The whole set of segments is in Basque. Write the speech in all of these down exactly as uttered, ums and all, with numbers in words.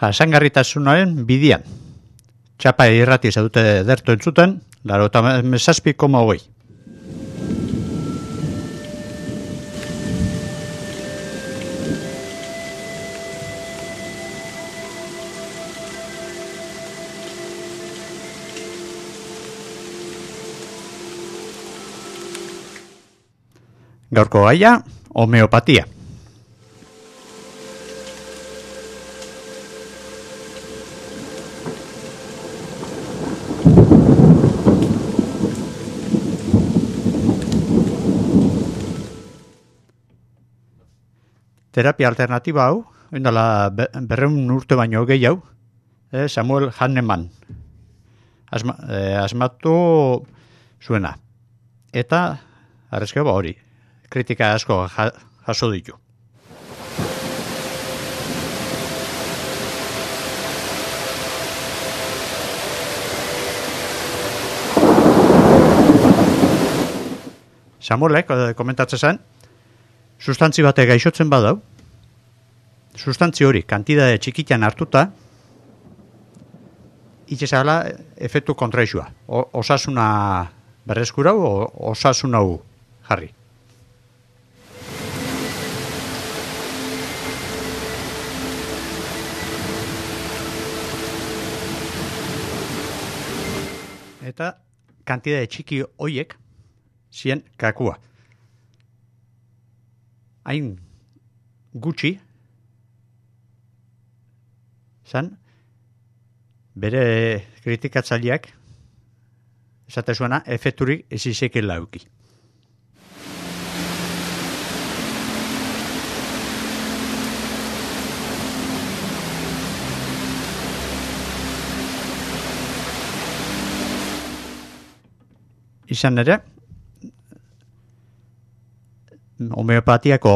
jasangarritasunaren bidian. Txapa irrati zaudute derto entzuten, laro eta mesazpi koma hogei. Gaurko gaia, homeopatia. Terapia alternatiba hau, oindala berreun urte baino gehiago, eh, Samuel Hahnemann Asma, eh, asmatu zuena. Eta, arrezkeo ba hori, kritika asko jaso ditu. Samuelek komentatzen zen, sustantzi batek gaixotzen badau, sustantzi hori kantidade txikitan hartuta, itxezala efektu kontraixua. Osasuna berreskurau, osasuna hu jarri. Eta kantidade txiki hoiek zien kakua. Hain gutxi zan bere kritikatzaileak esate zuena efekturik ez izekela euki. Izan ere, homeopatiako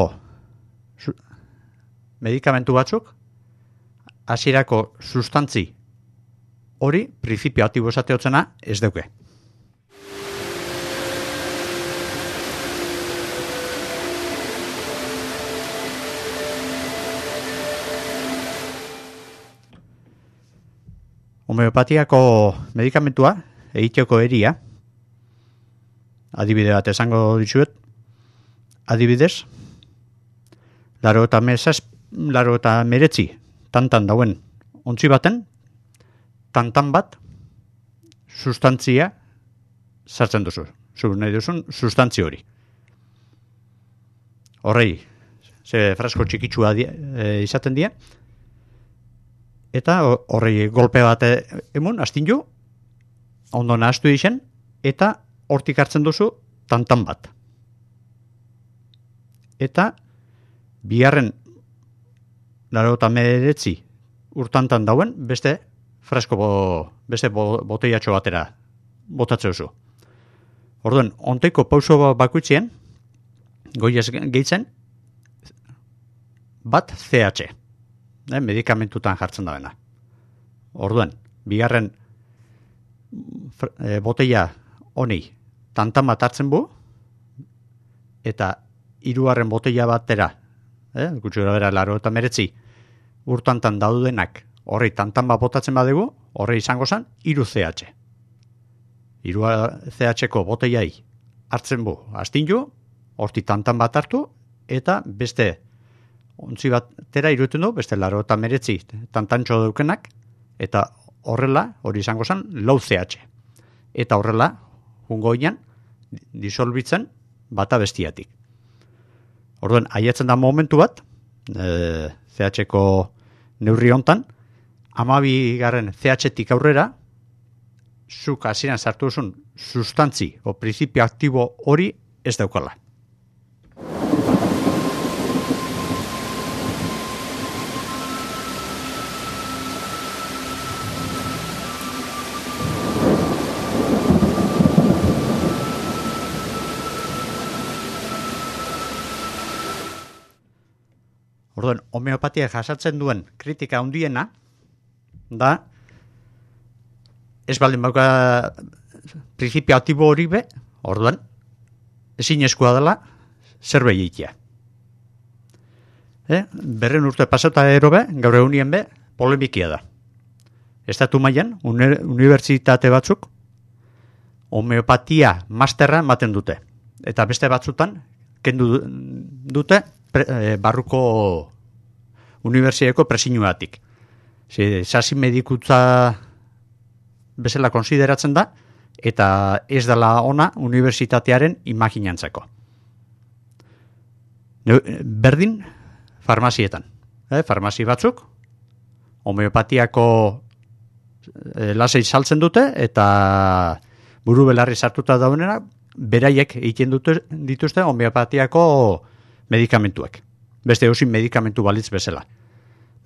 medikamentu batzuk hasierako sustantzi hori printzipio aktibo esateotzena ez duke. Homeopatiako medikamentua egiteko eria, adibide bat esango ditzuet, adibidez, laro eta mesaz, laro eta meretzi tantan dauen ontzi baten, tantan bat sustantzia sartzen duzu. Zu nahi duzun sustantzi hori. Horrei, ze frasko txikitsua die, e, izaten die, eta horrei golpe bat emun, astindu, ondo nahastu dizen, eta hortik hartzen duzu tantan bat. Eta biharren laro eta meretzi urtantan dauen beste fresko bo, beste bo, boteiatxo batera botatzen duzu. Orduan, onteiko pauso bakuitzien goiez gehitzen bat C H, eh, medikamentutan jartzen da bena. Orduan, bigarren e, boteia honi tantan bat hartzen bu, eta hirugarren boteia batera, eh, gutxura bera, laro eta meretzi, urtantan daudenak, horri tantan bat botatzen badegu, horri izango zen, hiru C H. Hiru C H-ko boteiai hartzen bu, astindu, horti tantan bat hartu, eta beste ontzi batera iruten du, beste laro eta meretzi tantantxo daukenak, eta horrela, hori izango zen, lau C H. Eta horrela, jungoinan, disolbitzen bata bestiatik. Orduan, aiatzen da momentu bat, e, C H-ko neurri hontan, hamabi garren C H-tik aurrera, zuk hasieran sartu duzun sustantzi o printzipio aktibo hori ez daukala. Orduan, homeopatia jasatzen duen kritika handiena da ez baldin bauka printzipio aktibo hori be, orduan, ezin eskua dela zerbait egitea. Eh? Berren urte pasata ero be, gaur egunien be, polemikia da. Estatu mailan uni- unibertsitate batzuk homeopatia masterra ematen dute. Eta beste batzutan kendu dute pre, e, barruko unibertsitateko presinuatik. Sasi medikutza bezala konsideratzen da, eta ez dela ona unibertsitatearen imaginantzako. Berdin farmazietan. Eh, farmazi batzuk, homeopatiako eh, lasei saltzen dute, eta buru belarri sartuta daunera, beraiek egiten dute, dituzte homeopatiako medikamentuak. Beste eusin medikamentu balitz bezala.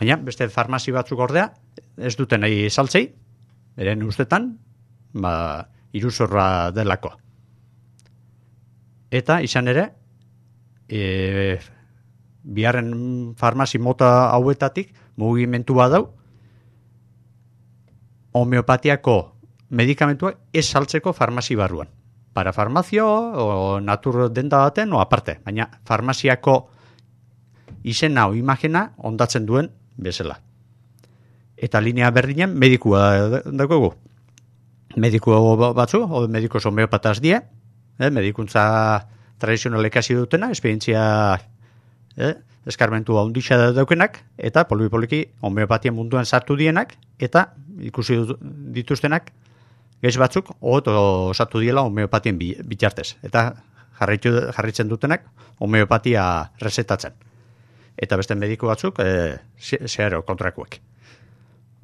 Baina, beste farmazi batzuk ordea, ez duten nahi saltzei, beren ustetan, ba, iruzorra delako. Eta, izan ere, e, biharren farmazi mota hauetatik, mugimentu badau, homeopatiako medikamentuak ez saltzeko farmazi barruan. Para farmazio, o natur denda baten, o aparte. Baina, farmaziako izena o imagina ondatzen duen bezala. Eta linea berdinen medikua dagogu. Mediku batzu, o medikos homeopataz die, eh, medikuntza tradizionalek hasi dutena, esperientzia eh, eskarmentu handixa daukenak, eta polipoliki homeopatien munduan sartu dienak, eta ikusi dituztenak, gaiz batzuk, oto osatu diela homeopatien bitartez. Eta jarritu, jarritzen dutenak homeopatia resetatzen. Eta beste mediku batzuk, e, zeharo kontrakuek.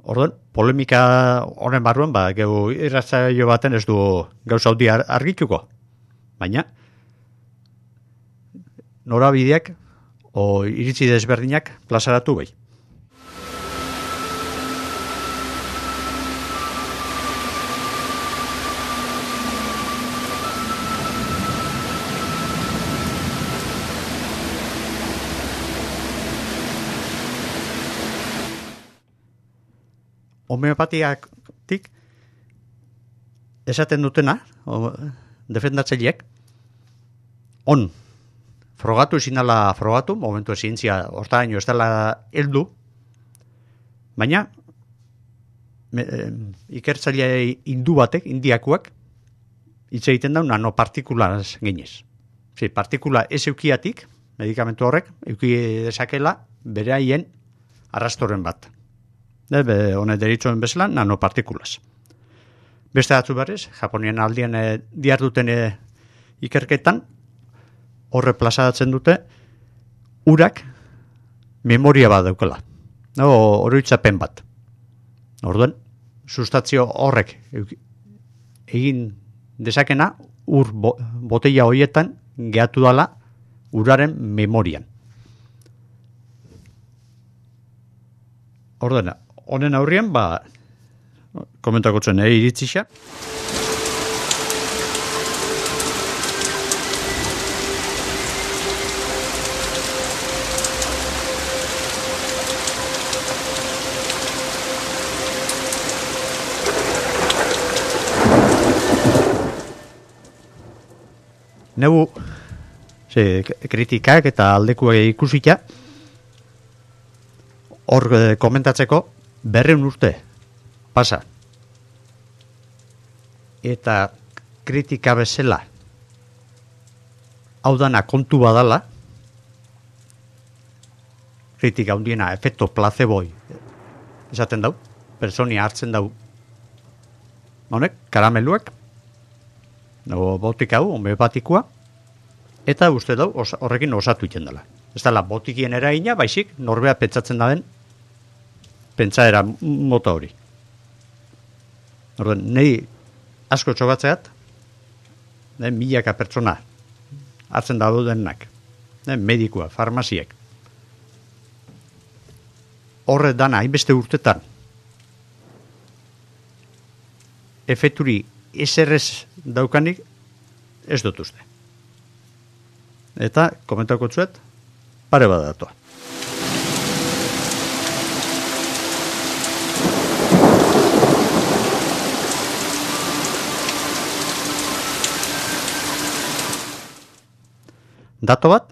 Orduan, polemika honen barruan, ba, geu irratzaio baten ez du gauza haundi argituko. Baina, norabideak o iritzi desberdinak plazaratu bai. Homeopatiatik esaten dutena, o, defendatzaileak, on, frogatu ezinala frogatu, momentu zientzia hortaraino ez dela heldu, baina me, e, ikertzaile hindu batek, indiakuak, hitz egiten da nanopartikulaz ginez. Sí, partikula ez eukiatik, medikamentu horrek, euki desakela bere haien arrastoren bat. Be, honet deritzuen bezala, nanopartikulas. Beste batzu berriz, Japonian aldian e, diarduten e, ikerketan, horre plazaratzen dute, urak memoria bat daukela. No, oroitzapen bat. Orduan, sustantzio horrek egin dezakena, ur bo, botella horietan gehatu dala uraren memorian. Orduan, honen aurrian, ba, komentako zen, eh, iritzisa. Neu, ze, kritikak eta aldekuak ikusita, hor eh, komentatzeko, berreun urte pasa. Eta kritika bezala hau dana kontu badala, kritika hundiena efekto placeboi esaten dau, personia hartzen dau honek, karameluak, no, botik hau, homeopatikoa, eta uste dau os, horrekin osatu iten dela. Ez dela botikien eragina, baizik norbea pentsatzen da den pentsaera mota hori. Orduan, nahi asko txogatzeat, ne, milaka pertsona hartzen daudenak, ne, medikua, farmaziek. Horre dana, hainbeste urtetan, efekturi eserrez daukanik ez dut uste. Eta, komentako txuet, pare badatoa. Dato bat,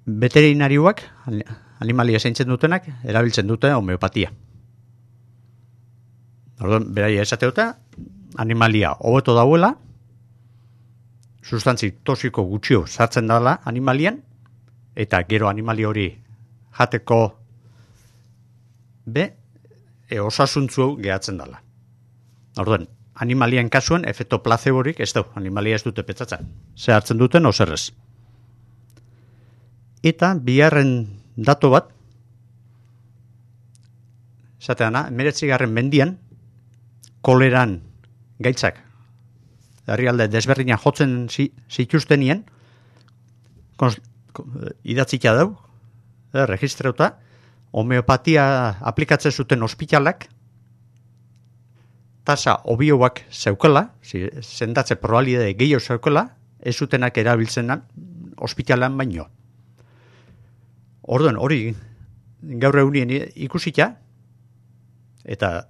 veterinarioak, animalia zaintzen dutenak, erabiltzen dute homeopatia. Orduan, beraia esateota, animalia hobeto dauela, sustantzi toxiko gutxio sartzen dela animalian, eta gero animali hori jateko be, e, osasuntzu gehatzen dela. Orduan, animalian kasuen efekto placeborik ez du, animalia ez dute petzatzen. Ze hartzen duten oserrez. Eta biharren dato bat, zateana, emeretzigarren mendian, koleran gaitzak, herrialde desberdina jotzen zituztenien, idatzita dau, eh, registrauta, homeopatia aplikatzen zuten ospitalak, tasa obioak zeukela, sendatze probabilitate gehiago zeukela, ez zutenak erabiltzen ospitalan baino. Orduan, hori gaur egunien ikusita, eta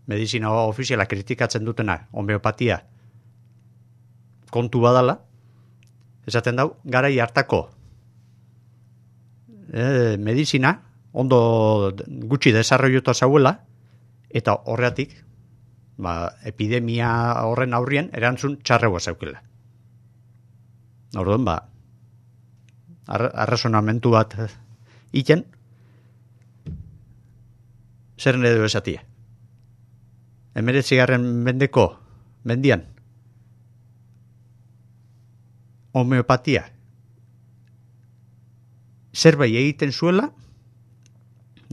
medizina ofiziala kritikatzen dutena homeopatia kontu badala, esaten dau, garai hartako e, medizina ondo gutxi desarroiota zauela, eta horreatik, ba, epidemia horren aurrien erantzun txarregoa zaukela. Orduan, ba, arrazonamentu bat iten, zer edo esatia. Emeretzigarren mendeko mendian homeopatia zerbait egiten zuela,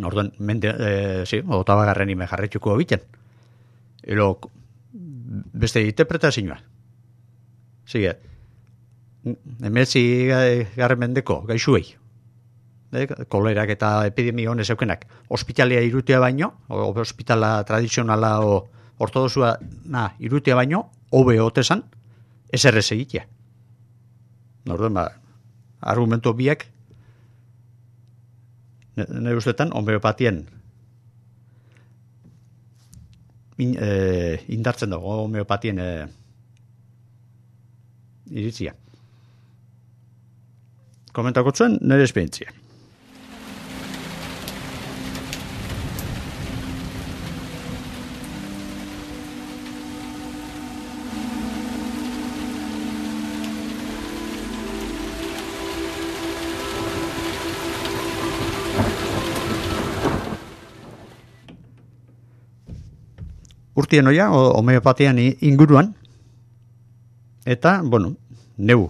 orduan, mende, e, zi, otabagarren ime jarretxuko biten. Ero, beste interpretazioa. Sige, emeretzigarren mendeko gaixuei, e, kolerak eta epidemia honez eukenak, ospitalea irutea baino, o, ospitala tradizionala o ortodosua na, irutea baino, hobe otesan, eserrez egitea. Orduan, ba, argumento biak, nire ustetan, homeopatien in, e, indartzen dago, homeopatien e, iritzia. Komentako zuen, nire esperientzia. Urtien oia, homeopatian inguruan, eta, bueno, neu,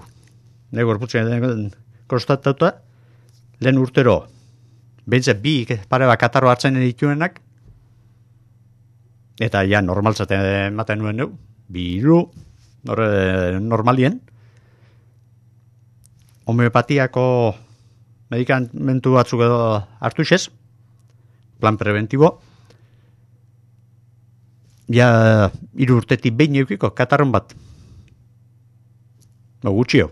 neu gorputzen konstatatuta, lehen urtero, behintzat bi pare bat katarro hartzen dituenak, eta ja normaltzaten ematen nuen neu, bi hiru, normalien, homeopatiako medikamentu batzuk edo hartu xez, plan preventibo, ja hiru urtetik behin eukiko, katarron bat. No, gutxio.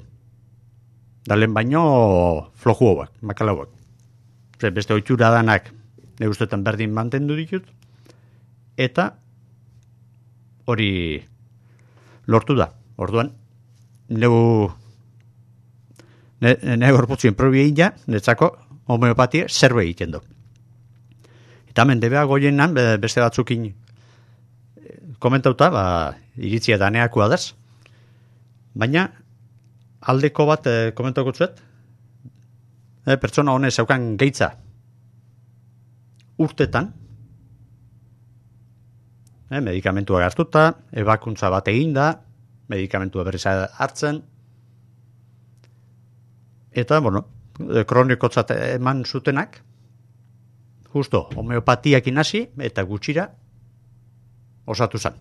Dalen baino flojuoak, makalauak. Beste oitxura danak ne ustetan berdin mantendu ditut. Eta hori lortu da. Orduan, neu ne, ne gorputzien probi egin ja, netzako homeopatia zerbe egiten du. Eta hemen debea goienan, beste batzukin komentauta, ba, iritzia daneakoa daz. Baina, aldeko bat eh, komentauko zuet, eh, pertsona honez zeukan geitza urtetan, eh, medikamentua hartuta, ebakuntza bat eginda, medikamentua berriz hartzen, eta, bueno, kronikotzat eman zutenak, justo, homeopatiak inasi, eta gutxira, osatu zen.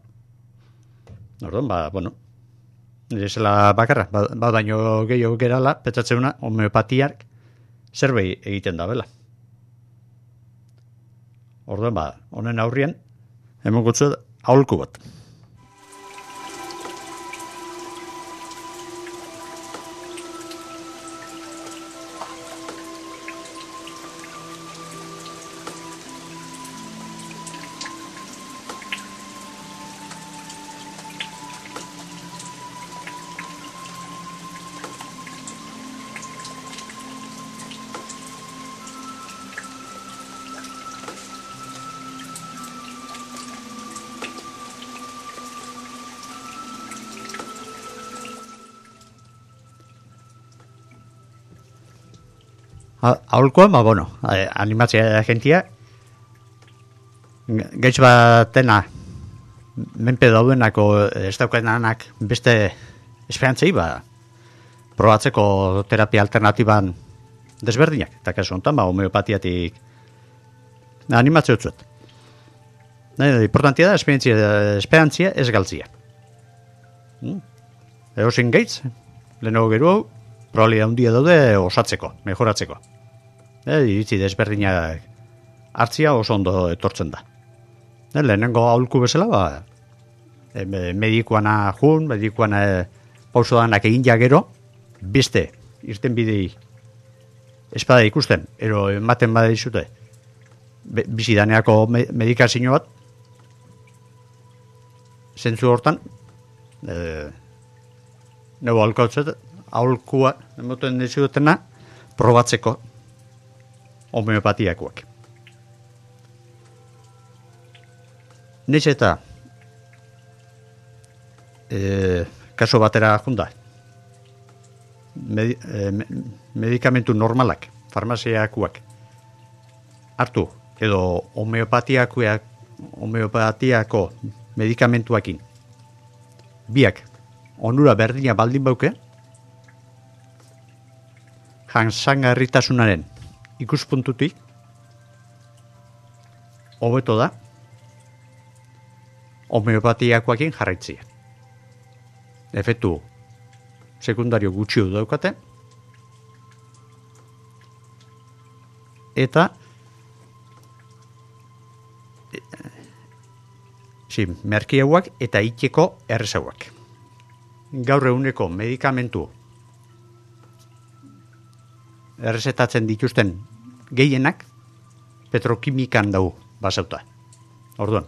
Orduan, ba, bueno, nire zela bakarra, ba, ba baino gehiago gerala, petzatzeuna, homeopatiak zerbait egiten da bela. Orduan, ba, honen aurrien, hemen gutzu aholku bat. Aholkoa, ba, bueno, animatzea agentia, gaitz batena, menpe daudenako ez daukenanak beste esperantzei, ba, probatzeko terapia alternatiban desberdinak, eta kasu honetan, ba, homeopatiatik animatzea utzuet. Importantia da, esperantzia ez galtzia. Hmm? Eosin gaitz, lehenago gero hau, probabilidad handia daude osatzeko, mejoratzeko. E, iritzi desberdinak hartzia oso ondo etortzen da. E, lehenengo aholku bezala, ba, e, medikuana jun, medikuana e, pauso danak egin ja gero, beste, irten bidei espada ikusten, ero ematen bada dizute, bizidaneako me, medikazio bat, zentzu hortan, e, nego aholkatzet, aholkua, emoten dizutena, probatzeko homeopatiakoak. Neiz eta e, kaso batera junda, Medi, e, medikamentu normalak, farmaziakoak, hartu, edo homeopatiakoak, homeopatiako medikamentuakin, biak, onura berdina baldin bauke, jansangarritasunaren ikuspuntutik, hobeto da, homeopatiakoakin jarraitzia. Efektu sekundario gutxi daukate, eta si, merkiauak eta itxeko errezauak. Gaur eguneko medikamentu errezetatzen dituzten gehienak petrokimikan dau basauta. Orduan,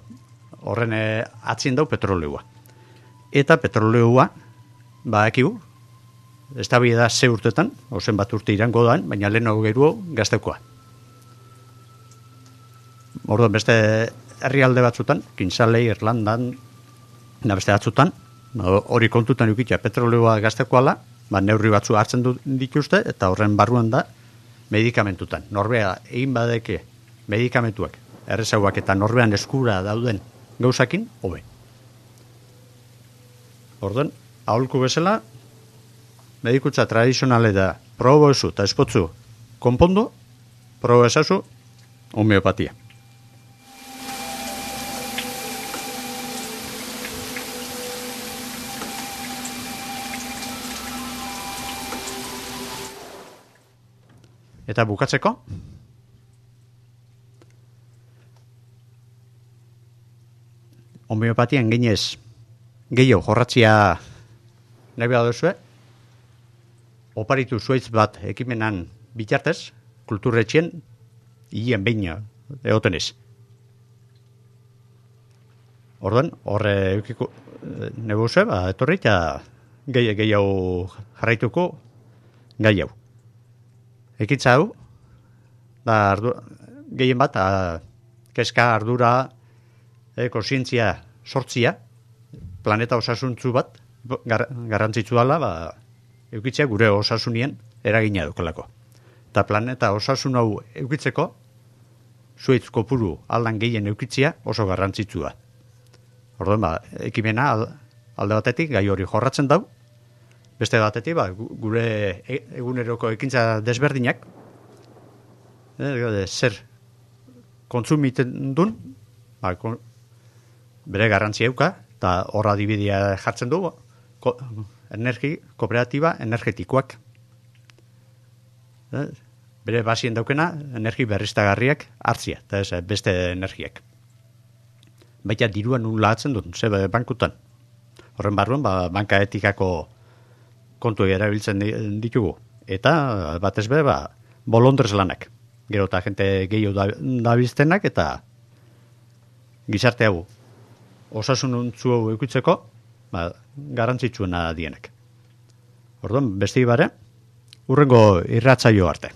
horren atzien dau petroleua. Eta petroleua, badakigu, ez da bida ze urtetan, ozen bat urte irango dan, baina lehenago geruo gazteukoa. Orduan, beste herrialde batzutan, Kinsalei, Irlandan, da beste batzutan, hori kontutan eukitza petroleua gazteukoala, ba, neurri batzu hartzen du dituzte, eta horren barruan da medikamentutan. Norbea egin badeke medikamentuak, errezauak eta norbean eskura dauden gauzakin, hobe. Orduan, aholku bezala, medikutza tradizionale da probo ezu eta espotzu konpondo, probo ezazu homeopatia. Eta bukatzeko, homeopatian ginez gehiago jorratzia nahi behar duzue, oparitu zuaitz bat ekimenan bitartez, kulturretxien, hien behin egoten ez. Orduan, horre eukiko nebuzue, ba, etorri eta gehiago jarraituko gai hau. Ekitza hau, da ardu, gehien bat, a, keska, ardura, e, konsientzia sortzia, planeta osasuntzu bat, gar, garrantzitsu dela, ba, eukitzea gure osasunien eragina dukolako. Eta planeta osasun hau eukitzeko, zuaitz kopuru aldan gehien eukitzea oso garrantzitsua. Orduan, ba, ekimena alde batetik gai hori jorratzen dau, beste batetik, ba, gure eguneroko ekintza desberdinak, e, zer kontsumiten duen, ba, kon, bere garrantzia euka, eta horra dibidia jartzen du, ko, energi, kooperatiba energetikoak. E, bere basien daukena, energi berriztagarriak hartzia, eta ez beste energiak. Baita diruan nula atzen duen, ze bankutan. Horren barruan, ba, banka etikako kontu erabiltzen ditugu. Eta, batez be, ba, bolondrez lanak. Gero eta jente gehiago dabilztenak, eta gizarte hau osasununtzu hau eukitzeko, ba, garantzitsuena dienek. Orduan, beste ibare, urrengo irratzaio arte.